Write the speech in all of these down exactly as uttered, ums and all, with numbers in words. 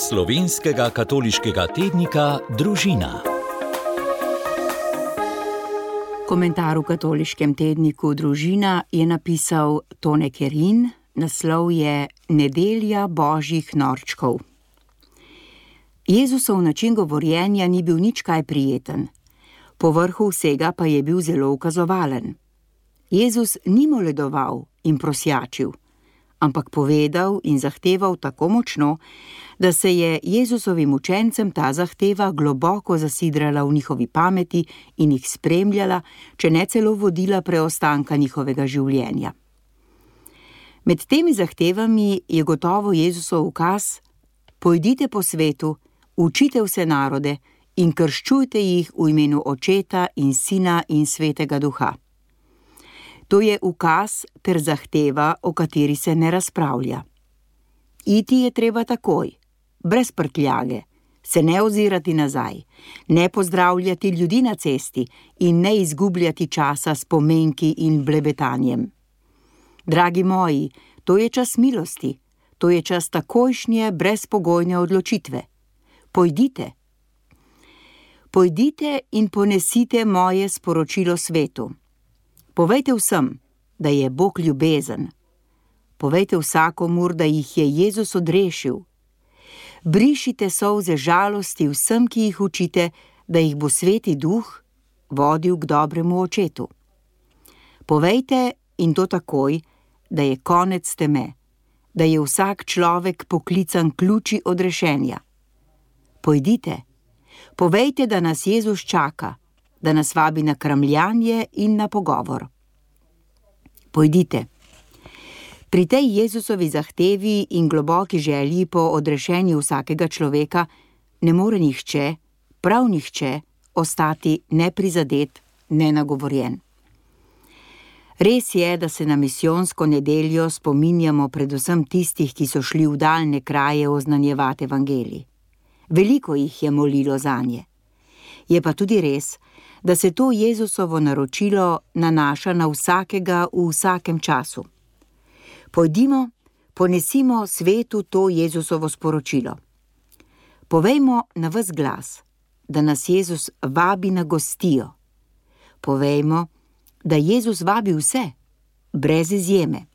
Slovenskega katoliškega tednika Družina. Komentar v katoliškem tedniku Družina je napisal Tone Kerin, naslov je Nedelja božjih norčkov. Jezusov način govorjenja ni bil nič kaj prijeten, povrhu vsega pa je bil zelo ukazovalen. Jezus ni moledoval in prosjačil, ampak povedal in zahteval tako močno, da se je Jezusovim učencem ta zahteva globoko zasidrala v njihovi pameti in jih spremljala, če ne celo vodila preostanka njihovega življenja. Med temi zahtevami je gotovo Jezusov ukaz: pojdite po svetu, učite vse narode in krščujte jih v imenu Očeta in Sina in Svetega Duha. To je ukaz ter zahteva, o kateri se ne razpravlja. Iti je treba takoj, brez prtljage, se ne ozirati nazaj, ne pozdravljati ljudi na cesti in ne izgubljati časa s pomenki in blebetanjem. Dragi moji, to je čas milosti, to je čas takojšnje, brezpogojne odločitve. Pojdite. Pojdite in ponesite moje sporočilo svetu. Povejte vsem, da je Bog ljubezen. Povejte vsakomur, da jih je Jezus odrešil. Brišite solze žalosti vsem, ki jih učite, da jih bo Sveti Duh vodil k dobremu Očetu. Povejte, in to takoj, da je konec teme, da je vsak človek poklican k luči odrešenja. Pojdite, povejte, da nas Jezus čaka, da nas vabi na kramljanje in na pogovor. Pojdite. Pri tej Jezusovi zahtevi in globoki želji po odrešenju vsakega človeka ne more nihče, prav nihče, ostati neprizadet, nenagovorjen. Res je, da se na misijonsko nedeljo spominjamo predvsem tistih, ki so šli v daljne kraje oznanjevati evangelij. Veliko jih je molilo zanje. Je pa tudi res, da se to Jezusovo naročilo nanaša na vsakega v vsakem času. Pojdimo, ponesimo svetu to Jezusovo sporočilo. Povejmo na ves glas, da nas Jezus vabi na gostijo. Povejmo, da Jezus vabi vse, brez izjeme.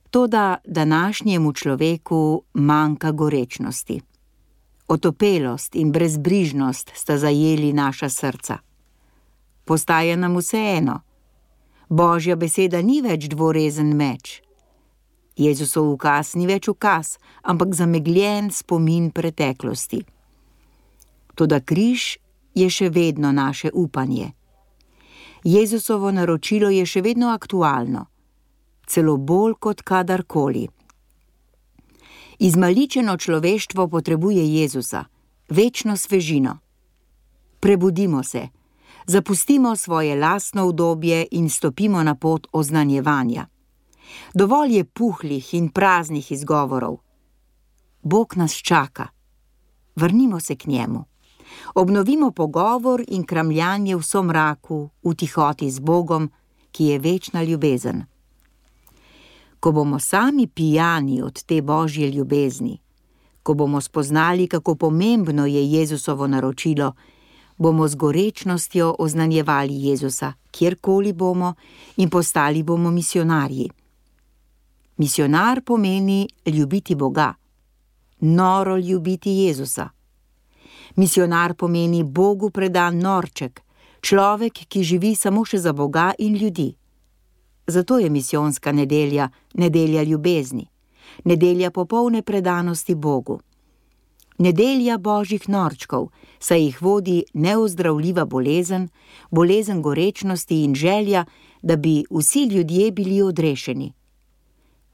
Toda današnjemu človeku manjka gorečnosti. Otopelost in brezbrižnost sta zajeli naša srca. Postaja nam vseeno. Božja beseda ni več dvorezen meč. Jezusov ukaz ni več ukaz, ampak zamegljen spomin preteklosti. Toda križ je še vedno naše upanje. Jezusovo naročilo je še vedno aktualno, celo bolj kot kadarkoli. Izmaličeno človeštvo potrebuje Jezusa, večno svežino. Prebudimo se, zapustimo svoje lastno udobje in stopimo na pot oznanjevanja. Dovolj je puhlih in praznih izgovorov. Bog nas čaka. Vrnimo se k njemu. Obnovimo pogovor in kramljanje v somraku, v tihoti z Bogom, ki je večna ljubezen. Ko bomo sami pijani od te božje ljubezni, ko bomo spoznali, kako pomembno je Jezusovo naročilo, bomo z gorečnostjo oznanjevali Jezusa, kjerkoli bomo, in postali bomo misionarji. Misionar pomeni ljubiti Boga, noro ljubiti Jezusa. Misionar pomeni Bogu predan norček, človek, ki živi samo še za Boga in ljudi. Zato je misijonska nedelja nedelja ljubezni, nedelja popolne predanosti Bogu. Nedelja božjih norčkov, saj jih vodi neozdravljiva bolezen, bolezen gorečnosti in želja, da bi vsi ljudje bili odrešeni.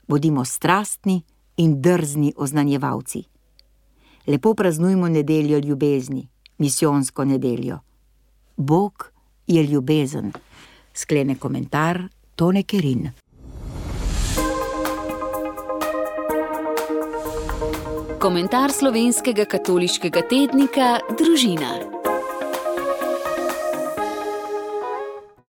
Bodimo strastni in drzni oznanjevalci. Lepo praznujmo nedeljo ljubezni, misijonsko nedeljo. Bog je ljubezen, sklene komentar Tone Kerin. Komentar slovenskega katoliškega tednika Družina.